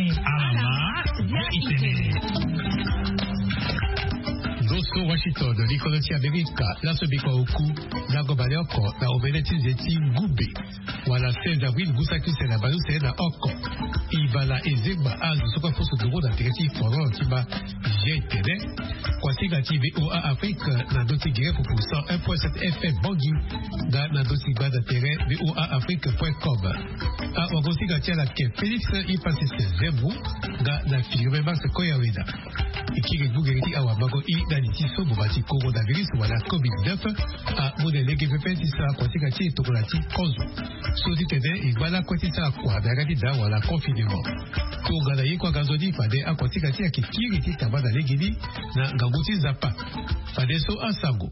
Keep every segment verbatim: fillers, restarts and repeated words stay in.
Alama, ya itene. Ndo so Washington, likolo ti Amerika, laso biko oku, lango baleoko na omene ti nze ti ngumbe, wala seize avril, ngu saki use na baleuse na oko. Ibala ezengba azo so kue afoso ndongo na tere ti foro ti ma. Ye tene. Kuasinga ti V O A Afrique na ndö ti gere pupu cent un point sept F M Bangui, nga na ndö ti gbanda tere V O A Afrique point com. Awagosinga ti ala ke Félix Ipasis Zembu, nga na Firmin Max Koyaweda. E kiri gbungere ti awamango i na li ti so boma ti coronavirus wala covid neuf amu na lege pepe ti sara kuasinga ti e tongana ti kozo. So ti tene e ngba lakue ti sara kua na yanga ti daa wala confinement. Tongana ye kue aga nzoni fade akuasinga ti e ayeke kiri ti tamba na legeni na ngangu ti Nzapa. Fade so asango.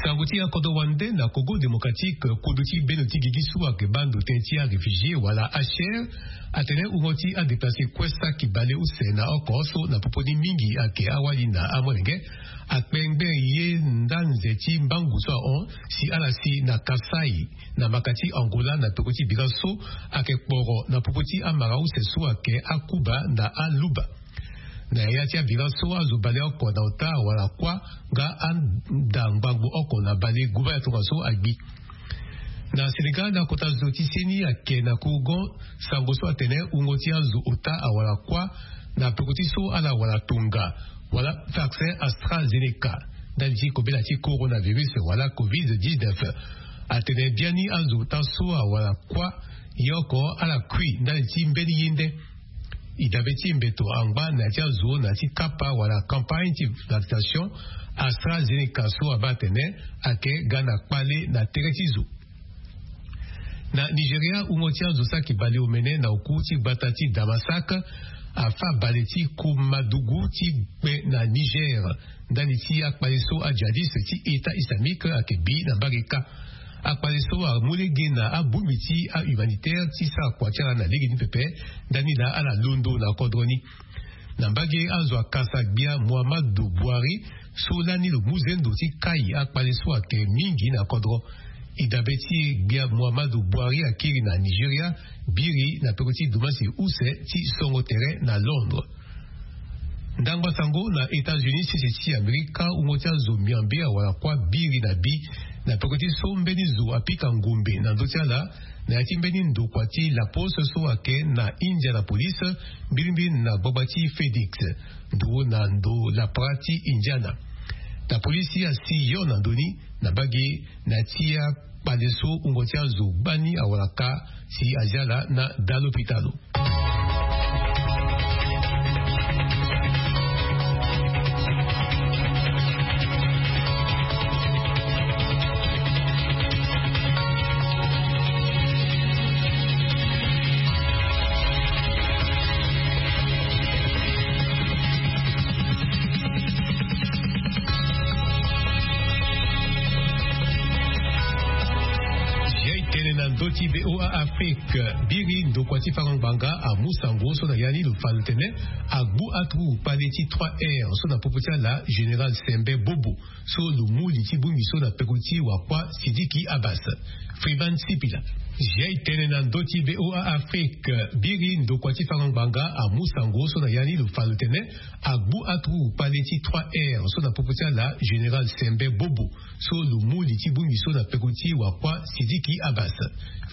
Sango ti akodro wande na Congo Démocratique, kodro ti bendo ti gigi so ayeke baa ndo tënë ti aréfugié wala H R, atene wungo ti adéplacé kue saki baleuse na oko so na popo ni mingi ayeke awali na amolenge, akpengbe ye nda nze ti mbangu so ahon si ala si na Kasaï, na maka ti Angola, na peko ti bira so ayeke kporo na popo ti amara use so ayeke akuba na aluba. Na ya ti abira so azo baleoko na ota wala kuâ nga anda ngbangbo oko na bale guba ya tongaso agbi. Na Sénégal, na kota zo ti seni ayeke na kourgon sango so atene wungo ti azo ota awala kuâ na peko ti so ala wala tonga wala vaccin AstraZeneca ndali ti kobela ti coronavirus wala covid dix-neuf. Atene biani azo ota so awala kuâ ye oko ala kui ndali ti mbeni ye nde. E dabe ti mbeto angba na ya ti azo na ya ti kapa wala campagne ti vaccination AstraZeneca so abaa atene ayeke ga na kpale na tere ti zo. Na Nigeria, wungo ti azo saki bale omene na oku ti gbata ti Damasak afa bale ti Komadougou ti kpe na Niger ndali ti akpale so ajihadiste ti État islamique ayeke bi na mbage kâ. Akpale so amu lege na abongbi ti ahumanitaire ti sara kua ti ala na lege ni pepe ndani laa ala londo na kodro ni. Na mbage, azo akasa gbia Muhammadu Buhari so lani lo mu zendo ti kai akpale so ayeke mingi na kodro. E dabe ti e, gbia Muhammadu Buhari akiri na Nigeria biri na peko ti dumasi use ti songo tere na Londres. Ndangba sango na États-Unis, sese ti Amerika, wungo ti azo miambe awara kuâ biri na bi na peko ti so mbeni zo apika ngombe na ndö ti ala na ya ti mbeni ndokua ti La Poste so ayeke na Indianapolis, mbirimbiri na gbagba ti Phoenix, ndo na ndo lapara ti Indiana. Na polisi asi yo na ndo ni na mbage na ya ti akpale so wungo ti azo gbani awara kâ si azia ala na daa lopitalo. Tene na ndö ti V O A Afrique, biri ndokua ti fango ngbanga amu sango so na ya ni lo fa lo tene agbu aturugu kpale ti trois R so na popo ti ala Général Sembe Bobo so lo mu li ti bongbi so na peko ti wakua Sidiki Abbas. Freeman Sipila. Ziai tene na ndö ti V O A Afrique, biri ndokua ti fango ngbanga amu sango so na ya ni lo fa lo tene agbu aturugu kpale ti trois R so na popo ti ala Général Sembe Bobo so lo mu li ti bongbi so na peko ti wakua Sidiki Abbas.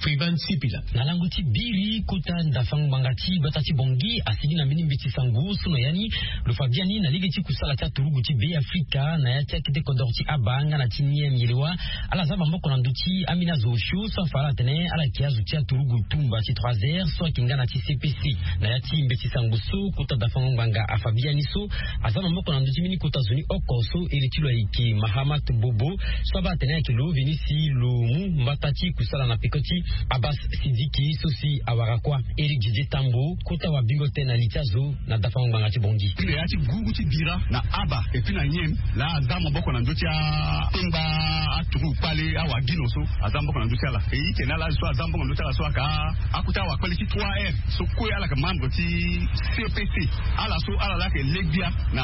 Freeman Sipila. Na lango ti biri kota ndafango ngbanga ti gbata ti Bangui asigi na mbeni mbeti sango so na ya ni lo fa biani na lege ti kusala ti aturugu ti Be Afrika na ya ti akete kodoro ti Aba nga na ti Niem Yelewa. Ala za maboko na ndö ti ambeni azo osio so afa ala atene ala yeke azo ti aturugu tumba ti trois R so ayeke nga na ti C P C. Na ya ti mbeti sango so kota dafango ngbanga afa biani so aza maboko na ndö ti mbeni kota zo ni oko so iri ti lo ayeke Mahamat Bobo so abaa atene ayeke lo veni si lo mu mbata ti kusala na peko ti Abbas Sidiki so si awara kuâ. Éric Didier Tambo kota wabingo tënë na li ti azo na dafango ngbanga ti Bangui. Tene ya ti guru ti bira na Aba et puis na Niem laa aza maboko na ndö ti atengba aturugu kpale awagino so aza maboko na ndö ti ala. E ike na ala azo So aza mbongo ndo ti ala so aka akota wakpele ti trois r so kue ala yeke membre ti cpc. Ala so ala laa yeke legbia na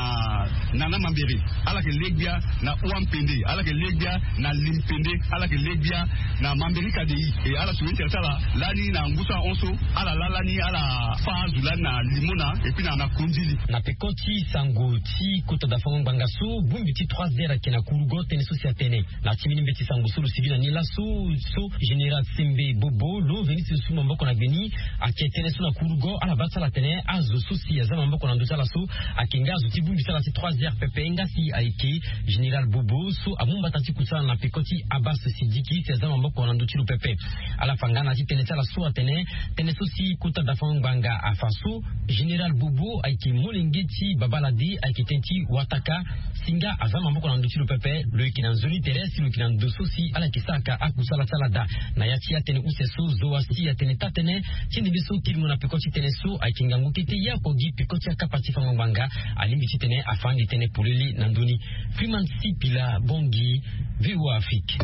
nana mambere, ala yeke legbia na ua mpende, ala yeke legbia na li mpende, ala yeke legbia na mambere kadei. E ala so intere ti ala lani na ngu so ahon so ala laa lani ala fa azo lani na limona epui na na kondili. Na peko ti sango ti kota dafango ngbanga so bongbi ti trois heures ayeke na kurugo tënë so si atene na ti mbeni mbeti sango so lo sivi na ni laso, so général sembe bobo lo veni ti zo su maboko na gbeni. Ayeke tënë so na kurugo ala baa ti ala atene azo so si aza na maboko na ndö ti ala so ayeke nga azo ti bongbi ti ala ti trois heures pepe nga si ayeke général bobo so amu mbata ti kutu ti ala na peko ti abas sidiki si aza na maboko na ndö ti lo pepe. Ala fa nga na ya ti tënë ti ala so atene tënë so si kota dafango ngbanga afa so général bobo ayeke molenge ti babalade ayeke tënë ti wataka. Si nga aza maboko na ndö ti lo pepe lo yeke na nzoni tere si lo yeke na ndo so si ala yeke saraka akusala ti ala daa. Na ya ti atënë use so zo asi atene taa tënë ti ndembe so kiringo na peko ti tënë so ayeke ngangu kete ye oko gi peko ti akapa ti fango ngbanga. Alingbi titene afa ande tënë polele na ndö ni. Freeman Sipila Bongi, VOA Afrique.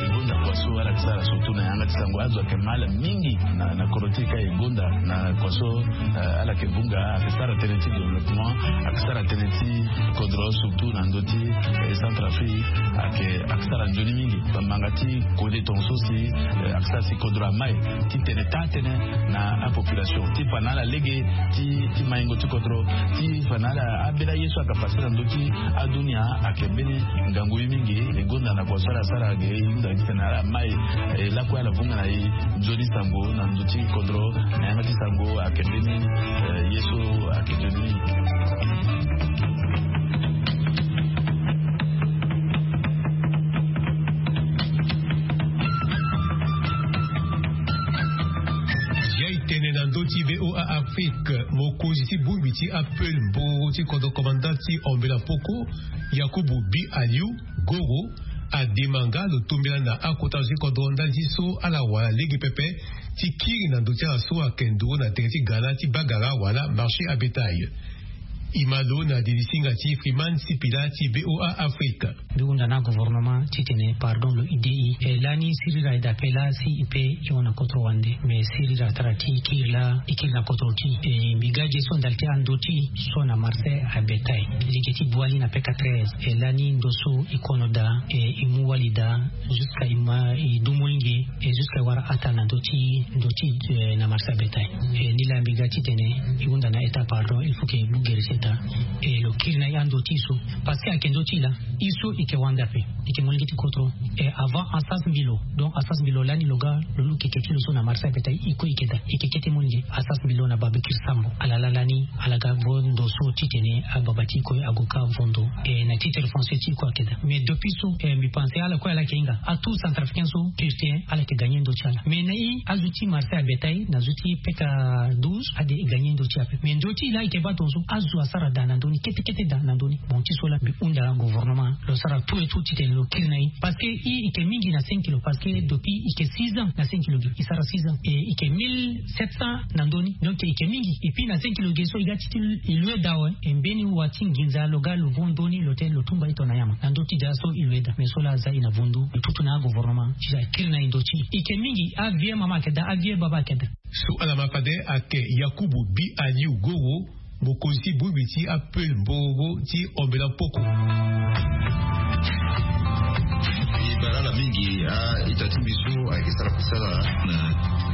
E gonda kua so ala yeke sara surtout na yanga ti sango azo ayeke mal mingi na na kodro ti e ka e gonda na kua so. Ala yeke vunga ayeke sara tënë ti développement, ayeke sara tënë ti kodro surtout na ndö ti Centrafrique. Ayeke ayeke sara nzoni mingi. Bamanga ti kode tonga so si ayeke sara si kodro amai ti tene taa tënë na apopulation ti fa na ala lege ti maingo ti kodro ti fa na ala abela ye so ayeke pase na ndö ti adunia. Ayeke mbeni ngangu ye mingi. E gonda na kua so ala sara ge e hunda titene ala mai e lakue ala vunga na e nzoni sango na ndö ti kodro na yanga ti sango ayeke mbeni ye so ayeke nzoni mingi. Ya e tene na ndö ti VOA Afrique, mokonzi ti bongbi ti apel mboro ti kodro komanda ti Ambela Poko, Yakubu Bi Aliu Goro, adema nga lo tombela na akota zo ti kodro ndali ti so ala wara lege pepe ti kiri na ndö ti ala so ayeke nduru na tere ti gala ti bagara wala marché à bétail. E ma lo na didi singa ti Freeman Sipila ti VOA Afrique. Mbi hunda na gouvernement titene pardon lo ide e. E lani sirira e dape laa si e pe e hon na kotoro wande. Me sirira tara ti e kiri laa e kiri na kotoro ti e. Mbi ga ge so ndali ti ando ti e so na marché à bétail. Lege ti bwali na peka treize e lani ndo so e kono daa e e mu wali daa. Jusqu'à e ma e du molenge e jusqu'à e wara ataa na ndo ti ndo ti e na marché à bétail. E nilaa mbi ga titene e hunda na état pardon il faut que e mu gere ti état. E lo kiri na e ando ti e so parce que ayeke ndo ti e laa. E so e yeke wande ape. E yeke molenge ti kotoro. E avant asas mbi lo. Donc asas mbi lo lani lo ga lo lu keke ti lo so na marché à bétail e kue e yeke daa e yeke kete molenge asas mbi lo na babikiri sambo ala laa lani. Ala ga vo ndo so titene ababa ti e kue ague ka vo ndo. E na titre foncier ti e kue ayeke daa mais depuis so e mbi pense ala kue ala yeke hinga atout centrafricain so purte ala yeke gagner ndo ti ala mais na e azo ti marché à bétail na zo ti peka douze ade e gagner ndo ti e ape mais ndo ti e laa e yeke baa tonga so azo asara daa na ndö ni kete kete daa na ndö ni. Bon ti so laa mbi hunda gouvernement lo sara tout et tout titene lo kiri na e parce que e e yeke mingi na cinq kilo parce que depuis e yeke six ans na cinq kilo gi e sara six ans e e yeke mille sept cents na ndö ni. Donc e yeke mingi et puis na cinq kilo gi so e ga ti ti e loue daa awe e mbeni wa ti nginza lo ga lo vo ndö ni lo tene lo tumba e tongana nyama na ndö ti daa so e loue daa mais so laa aza e na vo ndo lo tutu na agouvernement ti daa akiri na e ndo ti e e yeke mingi. Avieux mama ayeke daa avieux baba ayeke daa. So ala ma fade ayeke Yakubu Bi Aliu Goro, mokonzi ti bongbi ti apel mbongo ti Ambela Poko. E bara ala mingi a-ita ti mbi so ayeke sara kusala na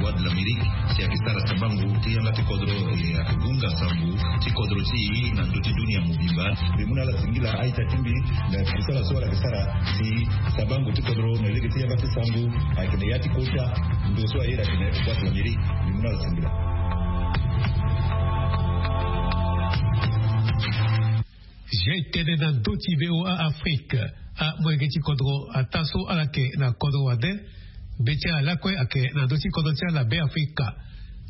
Voix de l'Amérique si ayeke sara sambango ti yanga ti kodro e ayeke gunga sango ti kodro ti e na ndö ti dunia mobimba. Mbi mu na ala singila a-ita ti mbi na kusala so ala yeke sara si sambango ti kodro na lege ti yanga ti sango ayeke na ya ti kota. Ndo so aye na tene Voix de l'Amérique mbi mu na ala singila. Zia e tene na ndö ti VOA Afrique. Amolenge ti kodro ataa so ala yeke na kodro wande. Be ti ala lakue ayeke na ndö ti kodro ti ala na Beafrika.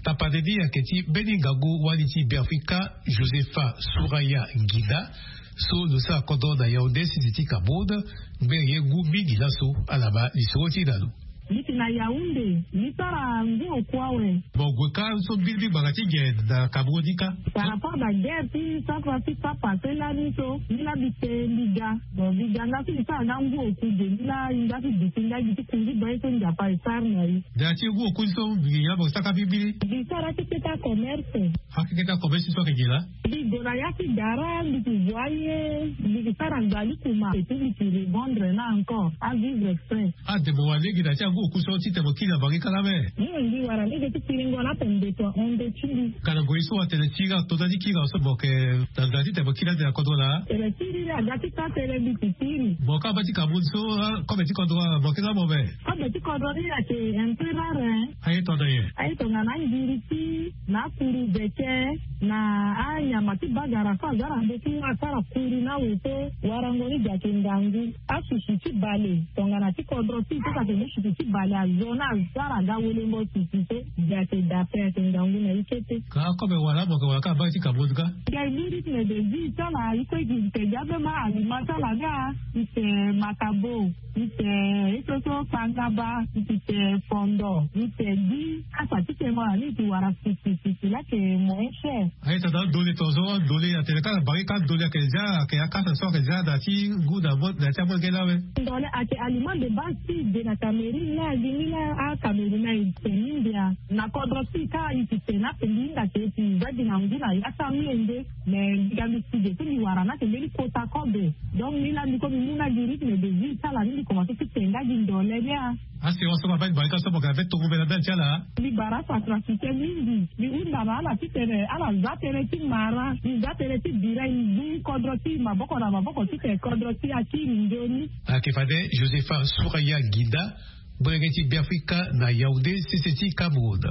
Tapande ni ayeke ti mbeni ngangu wali ti Beafrika, Josepha Souraya Ngida, so lo sara kodro na Yaoundé, sese ti Cameroun. Ngbene ye ngu mingi laso. Ala ma lisoro ti e na lo. Mbi ti na yaounde mbi sara ngu oku awe. Bon gue ka so bilbil gbanga ti ge na kameroun ni ka. Par rapport na guerre ti sapa ti sapa se lani so mbi la mbi te mbi ga. Bon mbi ga nga so mbi sara nga ngu oku ge mbi la hinga ti duti nga gi ti kunzi boye so nzapa e sara na ye. Da ti ngu oku ni so mbi ya mo saka bilbil. Mbi sara ti keta commerce. Akeketa commerce so ayeke ge laa. Mbi gue na ya ti gara mbi ti voye mbi ti sara ngbali kuma et puis mbi ti revendre na encore avivre exprès. Ade mo wara lege na ti angu oku so titene mo kiri na bangi kala ame. Mbi wara lege ti kiringo na ape mbeto ahon nde ti mbi. Kana gue so atene ti iri ato na ti kiri aso mo yeke na nda titene mo kiri ande na kodro laa. Tene ti iri aga ti ka tene mbi ti kiri. Mo ka ba ti kameroun so kobe ti kodro mo yeke nga mo me. Kobe ti kodro ni ayeke un peu rare. Aye tongana nyen? Aye tongana angiri ti na akuru beke na anyama ti bagara so aza na ndo ti nga asara kuru na awe so. Warango ni gi ayeke ngangu. Asusu ti bale tongana ti kodro ti so ayeke mu susu ti bale azo na asara aga welengo susu so. Gi ayeke dape ayeke ngangu na ye kete. Ka kobe wala mo yeke wala ka baa ti kameroun ka. Gi aye mu rythme de vie ti ala ye kue gi gi te gi abe ma alima ti ala ni a. Ite makabo. Ite ito so kpangaba. Ite fondo ite gi. Asa ti tengo na ni iti wara sisi sisi lake moyen cher. Aye tata dole tongaso dole atene kaka bangi ka dole ayeke zia ayeke akasa so ayeke zia na ti ngu na ti amolenge ni awe. Ndole ayeke aliment de base ti e de na cameroun la gi ni la acameroun na e te mindia. Na kodro ti e ka e ti te na ape mbi hinga ke e ti za gi na ngu na ya ti amolenge. Mais mbi ga mbi si de so mbi wara na ake mbeni kota kobe. Donc mbi la mbi ko mbi mu na gi rythme de vie ti ala ni mbi komanse ti te nga gi ndole ni a. Asi waso ma bani bani ka so mo ga be tongo mbela bia ti ala. Mbi bara aso atrafike mingi. Mbi hunda na ala titene ala za tënë ti mara mbi za tënë ti bira e ngu kodro ti maboko na maboko titene kodro ti akiri nzoni. Ayeke fade josepha suraya ginda. Molenge ti beafrika na yaounde sese ti cameroun.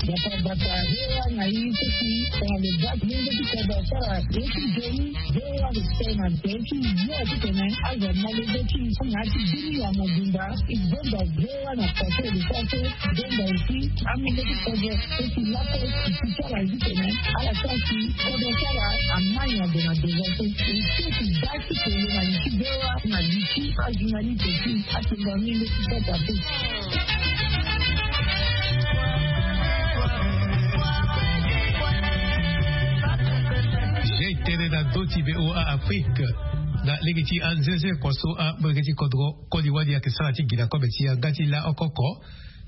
Bata bata hewa na ye ti si tongana lo baa ti lenge ti kodro asara ye ti nzoni. Hewa lo tene na be ti yo titene azo molenge ti na ya ti bini ya mobimba. E zonda hewa na pase lo sara so. Zonda aussi amolenge ti kodro so si laso si ti sara ye titene ala sara si kodro ti ala amai na ndo na devant so. E so si baa ti kolo na li ti hewa na li ti ajournaliste ti atonga mingi ti sata pe. Ye tënë na ndö ti voa afrique. Na lege ti anzenze kua so amolenge ti kodro koli wani ayeke sara ti gi na kobe ti yanga ti laoko oko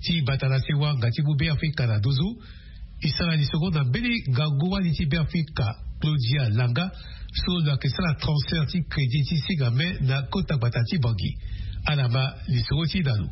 ti bata na sewa nga ti mu beafrika na nduzu. E sara lisoro na mbeni ngangu wani ti beafrika claudia langa so lo yeke sara transfert ti crédit ti singa me na kota gbata ti bangi. Ala ma lisoro ti na lo.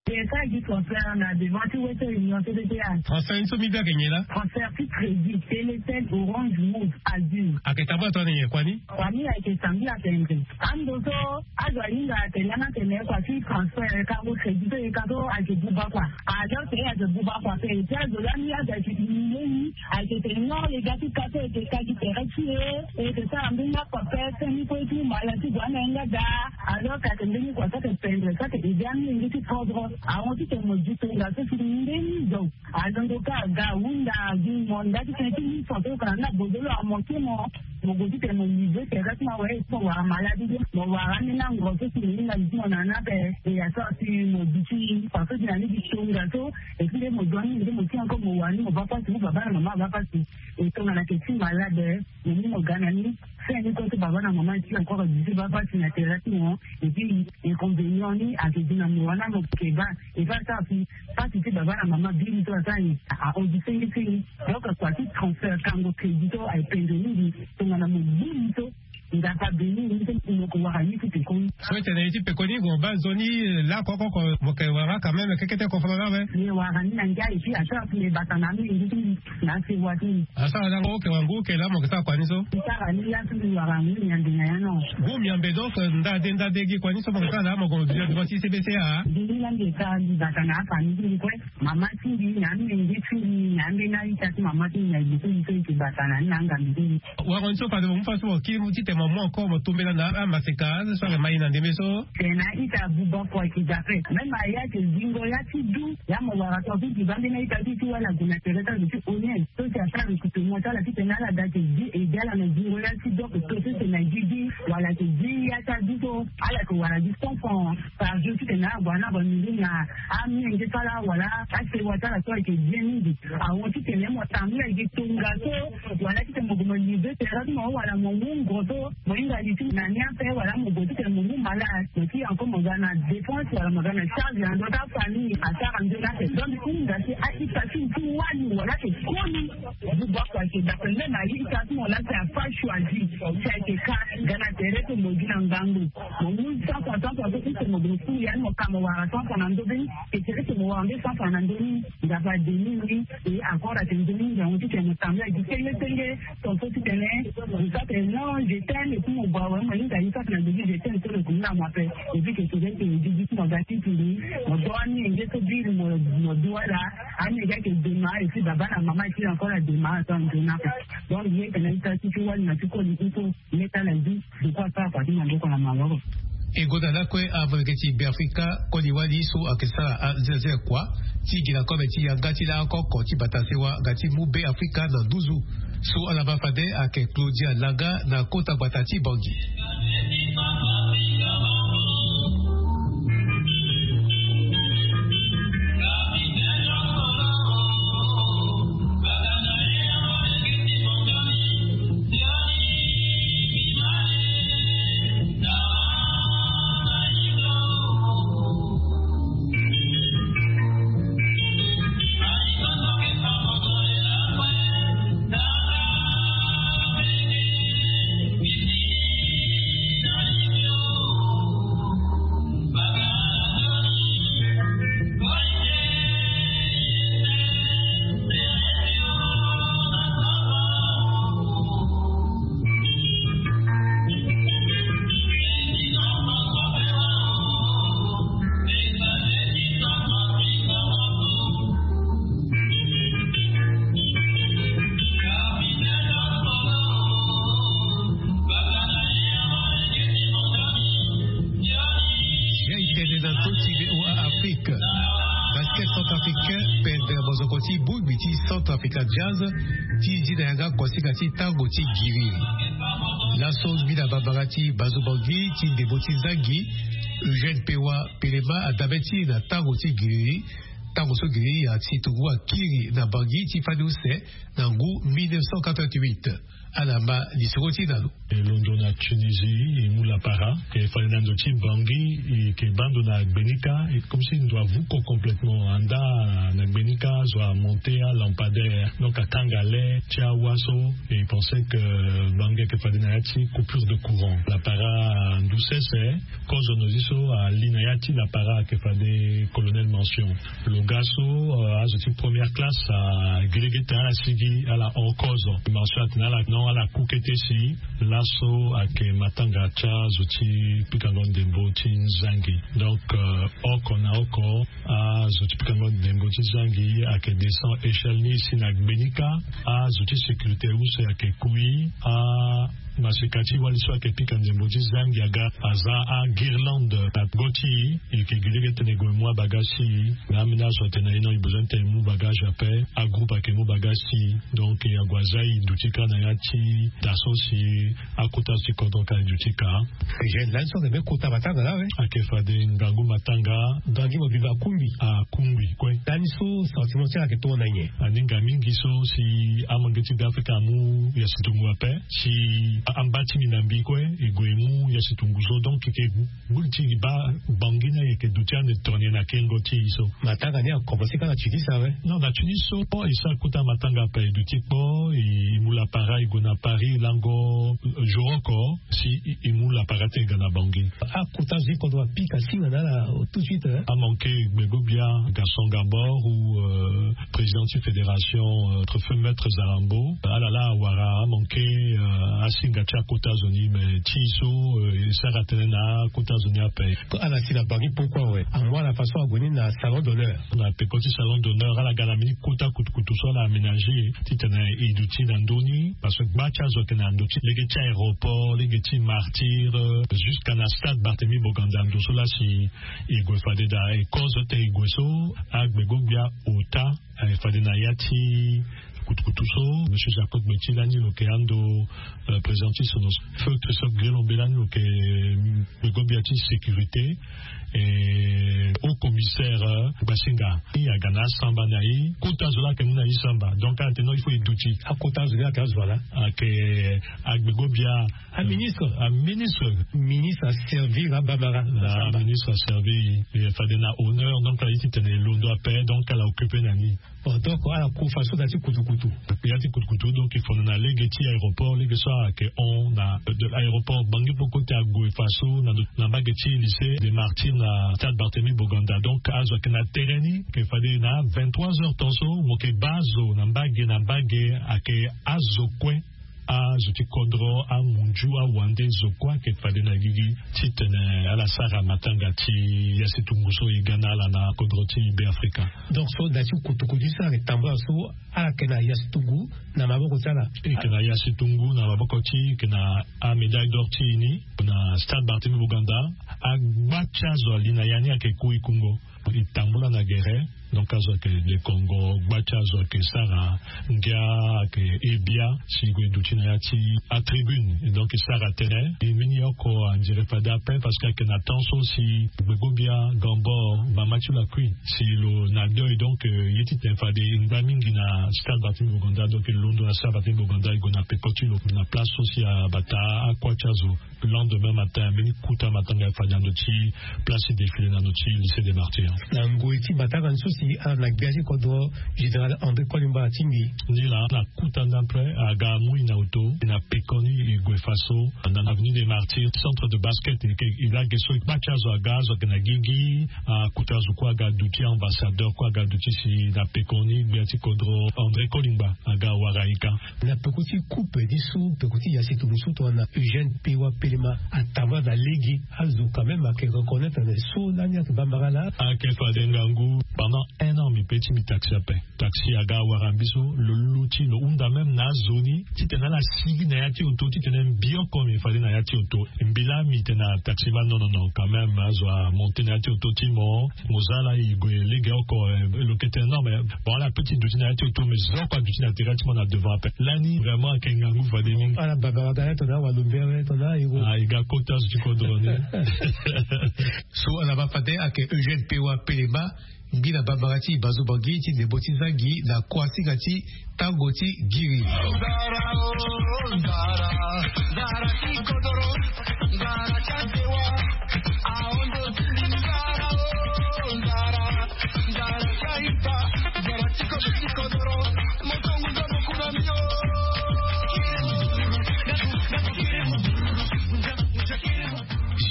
Transfert na devant ti western union cdpa. Transfert ni so mbi bia ke nyen laa? Transfert ti crédit telecel orange move azur. Ayeke tambula tongana nyen kua ni? Kua ni ayeke sambila tendre. Ando so azo ahinga atene langa atene kua ti transfert kango crédit so e ka so ayeke buba kua. Alors ke ayeke buba kua pe ti azo lani azo ayeke ti mingeni. Ayeke tene non e ga ti ka so e yeke ka gi tere ti e. E yeke sara mbeni akua pe seni kue ti mala ti gue ana ye nga daa. Alors ka ayeke mbeni kua so ayeke pendre so ayeke ede amenge ti kodro. Ahon titene mo di tonga so si ndeni zo. Azo ndo ka aga ahunda agi mo nda titene ti li fo so kana na bozolo amoke mo. Mo gue titene mo livre tere ti mo awe mo wara maladi ti mo wara ambeni angro so si mo hinga li ti mo na ni ape. E ya so si mo di ti fo so si na ni di tonga so. Et puis nde mo zo ni nde mo ti encore mo wani mo baa pasi mo baba na mama abaa pasi. E tongana ke ti malade. Mo mu mo ga na ni. Fin ni kue so baba na mama ti encore di ti baa pasi na tere ti mo. Et puis inconvénient ni ayeke gi na mo wana mo ke baa. E fa asara si pasi ti baba na mama biri so asara ni. Ahon gi sengi sengi. Donc kua ti transfert kango crédit so aye pendre mingi. Tongana mo biri so. Nzapa beni ni so mo yeke wara ye ti pekoni. So e tene ye ti pekoni mo baa nzoni. Lakoko oko mo yeke wara quand même kekete koforo laa awe. Ye wara ni na ngia et puis asara si mbi bata na amolenge ti mbi na asewa ti mbi. Asara lango oke wangu oke laa mo yeke sara kua ni so. Mbi sara ni laa so mbi wara ngu miambe na ya no. Ngu miambe donc ndade ndade gi kua ni so mo yeke sara laa mo gongo dunia devant ti cbca. Mbi ni laa mbi yeke sara mbi bata na afamille ti mbi kue. Mama ti mbi na amenge ti mbi na ambeni aita ti mama ti mbi na ebe so mbi so mbi yeke bata na ni na angambi ti mbi. Wara ni so fade mo mu fa so mo kiri mu titene. Mo mu encore mo tombela na amaseka so ake mai na ndembe so. Tena ita buba kua ki dape même aya ke zingo ya ti du. Ya mo wara to ti diba nde na ita ti ti wala guna tereta zo ti onien so ti asara recrutement ti ala titene ala da ke di ede ala na zingo ya ti dok to titene gi di wala ke di ya ti adu so. Ala ke wara gi cent francs par jour titene ala gue na abamiri na amenge ti ala wala asewa ti ala so ayeke bien mingi. Awo titene mo tambula gi tongaso wala titene mo gue mo live tereta ti mo wala mo mu ngo so. Mo hinga li ti na ni ape wala mo gue titene mo mu malade mo ti encore mo ga na dépense wala mo ga na charge na ndö ti afamille asara nzoni ape. Donc ti hinga si aita ti ti wani wala ake koli. Buba kua ake dape même aita ti mo laa si afa choisi si ake ka ga na tere ti mo gi na ngangu. Mo mu cent francs cent francs so ti mo gue mo kuli yani mo ka mo wara cent francs na ndö be ni. Ke tere ti mo wara nde cent francs na ndö ni. Nzapa ademi ni. E encore ake nzoni ngangu titene mo tambula gi senge senge. Ton so titene mo sa tene non je t'aime et puis mo gue awe mo hinga ye so ake na ndö ti je t'aime so lo gue ni na mo ape. Et puis ke tere ti mo gi gi ti mo ga ti tiri mo do amenge so biri mo mo du ala. Amenge ake dema et puis baba na mama et puis encore adema ato anzoni ape. Donc ye tene ita ti ti wali na ti koli ti so. Ye ti ala zi. Deko asara parti na ndeko na maboko. E gonda lakue avaneke ti Beafrika koli wali so ayeke sara azelzel kua ti gi na kobe ti yanga ti laa oko oko ti bata sewa nga ti mu Beafrika na nduzu. So ala baa fade ayeke Claudia Langa na kota gbata ti Bangui. Afrique. Basket centrafricain pendre mozoko ti bongbi ti Centrafrica Jazz ti zi na yanga kosinga ti tango ti giriri. Laso mbi na bambara ti bazo Bangui ti ndembo ti zangi Eugène Pewa Pelema adabe ti na tango ti giriri. Tango so giriri ya ti tungu akiri na Bangui ti fani use na ngu mille neuf cent quatre-vingt-huit. Ala ma lisoro ti na lo. E londo na Tunisie e mu lapara e fade na ndo ti Bangui e ke baa ndo na gbenika e comme si ndo avuko complètement anda na gbenika zo amonte alampadaire donc akanga le ti awa so e pense que Bangui ake fade na ya ti coupure de courant lapara ndu sese. Kozo nozi so ali na ya ti lapara ake fade colonel mention. Lo ga so azo ti première classe agiligi tene ala sigi ala hon kozo mention atene ala non ala ku kete si laso ayeke matanga ti azo ti pikango ndembo ti zangi. Donc oko na oko azo ti pikango ndembo ti zangi ayeke descend échelle ni si na gbenika azo ti sécurité use ayeke kui a maseka ti wali so ayeke pika ndembo ti zangi aga aza aguirlande na go ti e yeke gi lege tene e gue mu abagage ti e. Na ameni azo atene na e non e besoin tene e mu bagage ape. Agroupe ayeke mu bagage ti e. Donc e ague aza e duti kâ na ya ti da so si akota ti kodro ka e duti kâ. Eugène lani so ayeke me kota matanga laa we. Ayeke fade ngangu matanga. Ngangu mo biba akungbi. Akungbi kue. Lani so sentiment ti ala ayeke tongo na nyen? Aninga mingi so si amange ti be afrika amu ya situngu ape. Si amba ti mbi na mbi kue e gue e mu ya situngu so donc e ke gbu li ti e baa Bangui ni ayeke duti ande tongana nyen na kengo ti e so. Matanga ni akomanse kâ na Tunis awe. Non na Tunis so e sara kota matanga ape e duti kpo e mu lapara e gue na Paris lango jour oko si e mu lapara ti e ga na Bangui. Akota zo ti kodro apika singa na ala tout de suite. Amanke gbego bia Gaston Gabor ou président ti fédération, feu maître Zarambo ala laa awara amanke asinga. Ga ti akota zo ni me ti so e sara tënë na akota zo ni ape. Ala si na bangi poko awe amu ala façon ague ni na salon d'honneur. Na peko ti salon d'honneur ala ga na mbeni kota kutukutu so ala aménagé titene e duti na ndö ni. Parce que gba ti azo ayeke na ndö ti lege ti aéroport, lege ti martyr, jusqu'à na stade Barthélemy Boganda, ndo so laa si e gue fade daa e kozo titene e gue so. Agbego-gbia ota e fade na ya ti kutukutu so monsieur Jacob Meti lani lo yeke ando président ti sono feu Christophe Guélombe lani lo yeke gbego-gbia ti sécurité. E haut commissaire Gbasinga i aga na asamba na i kota zo laa ayeke mu na i samba. Donc ala tene non il faut e duti akota zo ni ayeke azo ala ayeke agbego-gbia aministre aministre ministre aservir abambara na ministre aservir e fade na honneur. Donc ala ye titene e londo ape donc ala occupe na ni. Bon donc ala ku façon na ti kutukutu ya ti kutukutu donc e fondo na lege ti aéroport lege so ayeke hon na de l'aéroport bangi poko ti ague façon na mbage ti lycée de martyr na stade Barthélemy Boganda. Donc azo ayeke na terrain ni ayeke fade na vingt-trois heures temps so mo yeke baa zo na mbage na mbage ayeke azo kue. Azo ti kodro amunju awande zo kue ayeke fade na gigi titene ala sara matanga ti yasitungu so e ga na ala na kodro ti Beafrika. Donc so na ti kutukutu so ala yeke tambula so ala yeke na yasitungu na maboko ti ala. E yeke na yasitungu na maboko ti e yeke na amédaille d'or ti e ni na stade Barthélemy Boganda. Agba ti azo ali na ya ni ayeke ku e kungo. E tambula na gere. Donc azo ayeke lekongo gba ti azo ayeke sara ngia ayeke e bia si e gue e duti na ya ti atribune. Donc e sara tënë e mbeni oko andire fade ape parce que ayeke na temps so si gbego-gbia gambor mama ti lo akui si lo na deuil. Donc ye titene fade e ngba mingi na stade Barthélemy Boganda. Donc e londo na stade Barthélemy Boganda e gue na peko ti lo na place so si abata akua ti azo. Lendemain matin mbeni kuta matanga e fa na ndo ti place ti défilé na ndo ti lycée des martyrs. Na ngoi ti matanga ni so si ala na gbia ti kodro général André Kolimba atingbi. Ni laa na kuta ndapre aga amu e na oto na peko ni e gue faso na avenue des martyrs centre de basket. E lage so e kpa ti azo aga azo ayeke na gigi. Akuta azo kue aga aduti ambassadeur kue aga aduti si na peko ni gbia ti kodro André Kolimba aga awara e ka. Na peko ti coupe ni so peko ti yasitungu so tongana Eugène Pewa Pelema atambula na lege azo quand même ayeke reconnaître na so lani ayeke bambara laa. Ayeke fade ngangu pendant un an mbi pe ti mbi taxi ape. Taxi aga awara mbi so lo luti lo hunda même na azo ni titene ala sigi na ya ti oto titene mbi oko mbi fade na ya ti oto. Mbi laa mbi tene na taxi ma non non non quand même azo amonte na ya ti oto ti mo. Mo za laa e gue lege oko. Lo yeke tene non mais bon ala pe ti duti na ya ti oto mais zo oko aduti na tere ti mo na devant ape. Lani vraiment ayeke ngangu fade mingi. Ala baba waga ye tongana awalombe awe tongana aye ko. Ah e ga kota zo ti kodro ni. So ala baa fade ayeke Eugène Pewa Pelema. Ngbina bambara ti Bazo Bangui ti ndembo ti Zangi na kuasinga ti tango ti Giri.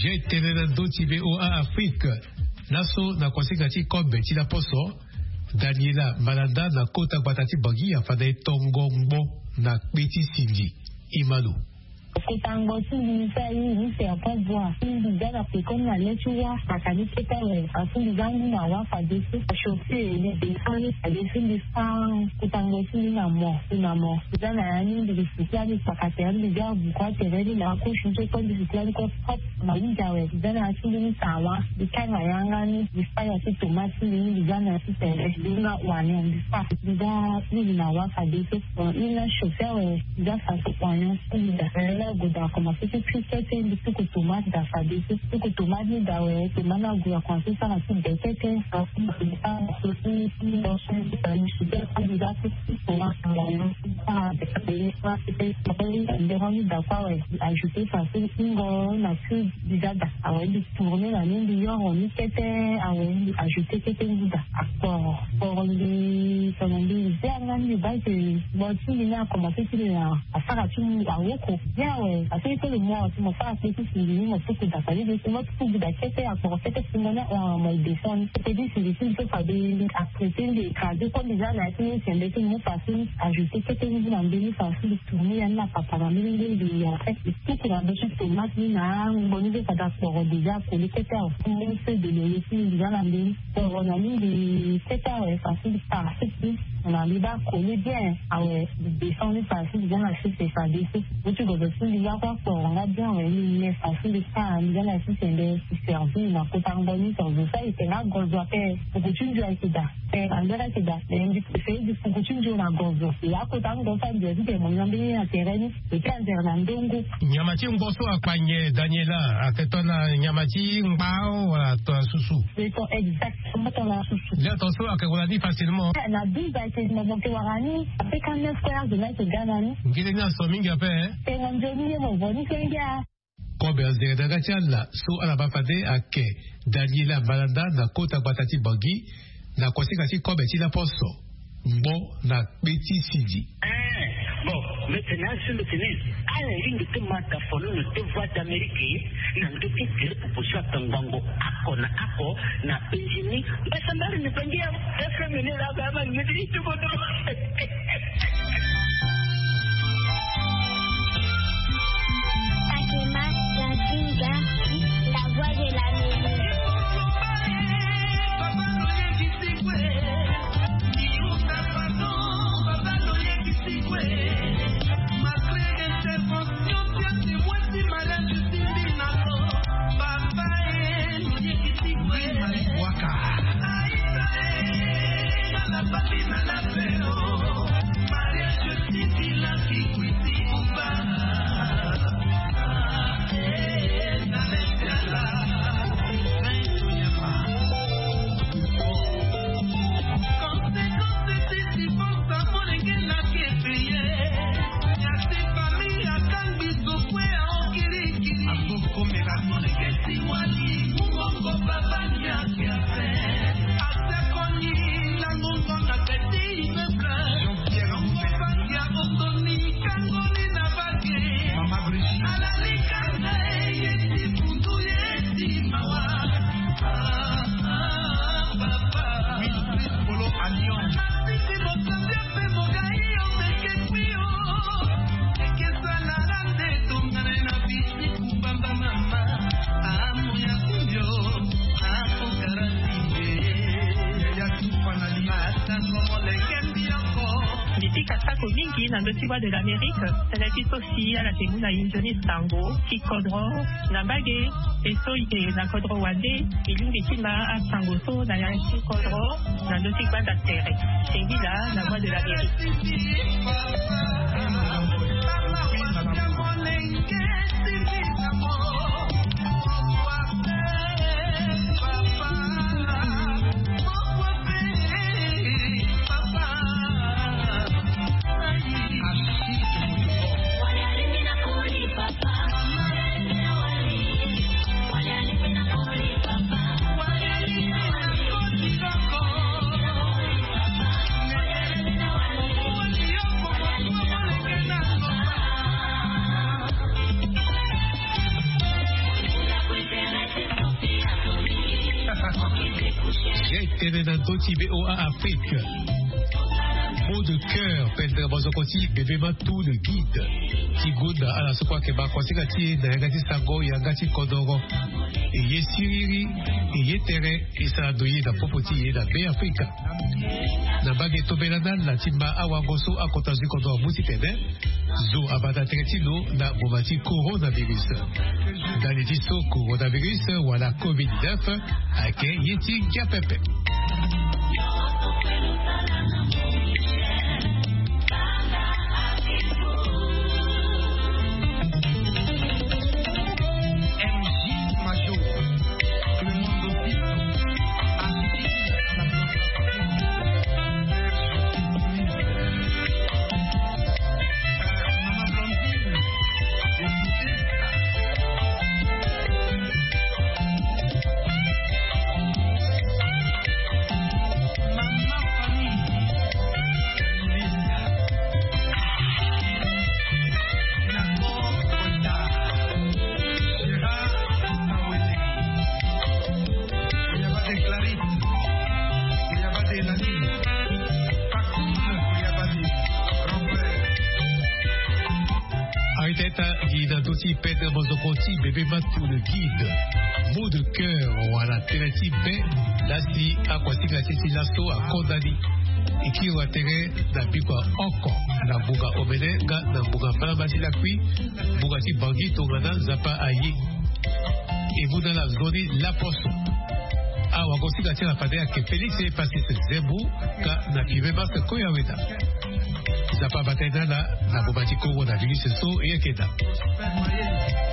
Jeu tene na ndö ti V O A Afrique. Laso na kuasinga ti kobe ti laposo, Daniela Malanda na kota gbata ti Bangi afanda e tongo ngbo na kpe ti sindi. Imano. Kota ngbo ti mbi so aye ni si apo bua ti mbi ga na pekoni na le ti wa kaka ni kete awe. Afu mbi ga ngu na wa fadeso. Achauffer mbi descend ni fadeso mbi fa kota ngbo ti mbi na mo. Na mo mbi ga na ya ni mbi gi siki ya mbi kpaka tere mbi ga abuku atere ni na akoshu ni so kue mbi siki ya ni kue propre. Na hunda awe mbi za na ya ti mbeni sawa mbi kanga yanga ni mbi fa ya ti tomate ti mbi ni mbi za na ya ti tere mbi nga oignon mbi fa mbi za. Mbi na wa fadeso. Bon mbi nga chauffer awe mbi za faso oignon ti mbi daa. Tere la ague daa akomanse ti cuit kete mbi tuku tomate daa fadeso tuku tomate ni daa awe tomate ni ague akomanse sara ti be kete. Mbi za ti tomate oignon mbi za ti tomate oignon mbi sara be kete. Mbi za ti tomate oignon mbi sara be kete. Mbi za ti tomate oignon mbi sara be kete. Ajouter faso ti ngo na cube mbi za daa awe mbi tourner na ni mbi yoro ni kete. Awe mbi ajouter kete ngu daa akporo kporo mbi tongana mbi zi yanga ni mbi baa ke. Bon ti mbi ni akomanse ti mbi na asara ti mbi awoko bien. Awe, a seni kolo mo, si mo sara kpe ti sindi ni, mo tuku da, fade ni si mo tuku da kete, akporo kete si mo ni ahon, mo e descend ni. Kete ti sindi si mbi so fade ni, a traité ni, écrasé comme déjà na ya ti ni, si mbi so mo fa si ni ajouté kete ni na mbeni, fa si mbi tourné ya ni na papa na mbeni, mbeni, mbeni, en fait, mbi tuku na ndo ti tomate ni na angbo ni so fade akporo déjà akoli kete awe. Mbeni feuille de laurier si mbi déjà na mbeni. Bon, na ni mbi kete awe, fa si mbi para sucre ni. Na mbi baa collé bien. Awe, mbi descend ni, fa si mbi za na sucre, fade so. Mo ti gozo si mbi za kue akporo nga bien awe, ni me fa si mbi sara, mbi za na sucre, mbi servi na kota ngbo ni, so zo sa ete nga gozo ape. Puku ti nzoni ayeke daa. Pe na mbeni ayeke daa. Mais mbi préféré mbi puku ti nzoni na gozo. E akota ngbo sa mbi azi ke mo ni na mbeni na tere ni. E ke anzere na ndongo. Nyama ti ngbo so akpa nyen, Daniela? Ayeke tongana nyama ti ngbao wala tongana susu? Exactement, tongana susu. Nde ato so ayeke wara ni facilement. Na douze ayeke mo, mo yeke wara ni. Après quarante-neuf heures de là, ayeke ga na ni. Ngili ni aso mingi ape, eh? Tengo nzoni ye mo vo ni kenge a. Kobe anzere na yanga ti ala so ala baa fade ayeke Daniela Malanda na kota gbata ti Bangui, na kosinga ti kobe ti laposo. Ngbo na kpe ti sidi. Eh, bon, maintenant, si mbi tene, ala lingbi ti ma tafonono ti Voix d'Amérique, na ndö ti tere proposition atangbongo, ako na ako, na penzi ni, mbasambari ni bangi ya, F M ni la, ba, ba, ni ti, ti, ti, Akema Zazinga, la voix de l'Amérique. Mbi pika sako mingi na ndö ti Voix de l'Amérique, tënë ti so si ala yeke mu na e nzoni sango ti kodro na mbage, e so e yeke na kodro wande, e lingbi ti ma asango so na ya ti kodro na ndö ti gbanda tere. Singila, la voix de l'Amérique. Ye tene na ndö ti V O A Afrique. Mot de cœur, pendere mazoko ti bebe ma tout le guide. Ti gonda ala so kue ayeke baa konsinga ti e na yanga ti sango, yanga ti kodoro. E ye siriri, e ye tere, e sara ndo ye na popo ti e na Be Afrika. Na mbage tombela na ala ti ma awango so akota zo ti kodro amu titene zo abanda tere ti lo na ngboma ti coronavirus. Ndali ti so coronavirus wala covid dix-neuf ayeke ye ti ngia pepe. Eta gi na ndö ti pede mozoko ti bebe matu le guide mot de cœur wala tënë ti be. Lasi akuasinga ti si laso akonda ni. E kiri watere na bikua oko na ngbonga omene nga na ngbonga mbala mbala ti lakui. Ngbonga ti bangi tongana nzapa aye. E mu na ala nzoni laposo. Awagosinga ti ala fade ayeke Félix Epasis Zembu. Ka na pime masque kue aweda. Nzapa abata ye na ala na boma ti Kongo na virus so e yeke daa.